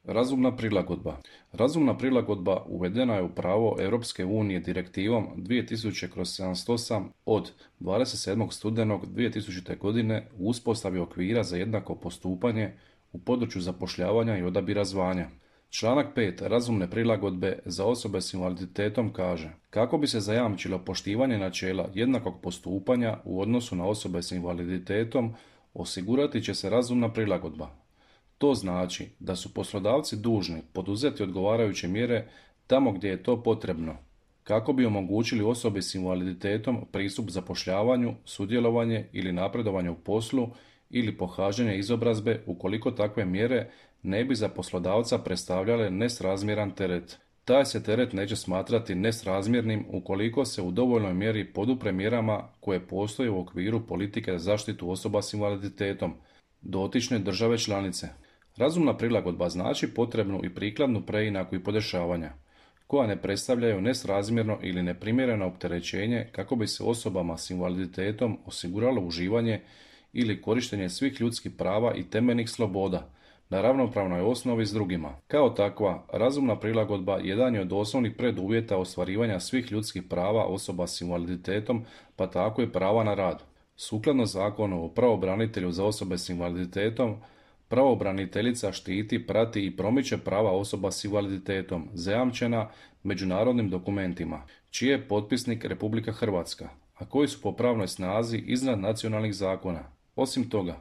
Razumna prilagodba. Razumna prilagodba uvedena je u pravo Europske unije direktivom 2000/78 od 27. studenog 2000. godine u uspostavi okvira za jednako postupanje u području zapošljavanja i odabira zvanja. Članak 5. Razumne prilagodbe za osobe s invaliditetom kaže: kako bi se zajamčilo poštivanje načela jednakog postupanja u odnosu na osobe s invaliditetom, osigurati će se razumna prilagodba. To znači da su poslodavci dužni poduzeti odgovarajuće mjere tamo gdje je to potrebno, kako bi omogućili osobi s invaliditetom pristup zapošljavanju, sudjelovanje ili napredovanje u poslu ili pohađanje izobrazbe ukoliko takve mjere ne bi za poslodavca predstavljale nesrazmjeran teret. Taj se teret neće smatrati nesrazmjernim ukoliko se u dovoljnoj mjeri podupre mjerama koje postoje u okviru politike za zaštitu osoba s invaliditetom dotične države članice. Razumna prilagodba znači potrebnu i prikladnu preinaku i podešavanja, koja ne predstavljaju nesrazmjerno ili neprimjereno opterećenje kako bi se osobama s invaliditetom osiguralo uživanje ili korištenje svih ljudskih prava i temeljnih sloboda na ravnopravnoj osnovi s drugima. Kao takva, razumna prilagodba jedan je od osnovnih preduvjeta ostvarivanja svih ljudskih prava osoba s invaliditetom, pa tako i prava na rad. Sukladno zakonu o pravobranitelju za osobe s invaliditetom, pravobraniteljica štiti, prati i promiče prava osoba s invaliditetom zajamčena međunarodnim dokumentima, čiji je potpisnik Republika Hrvatska, a koji su po pravnoj snazi iznad nacionalnih zakona. Osim toga,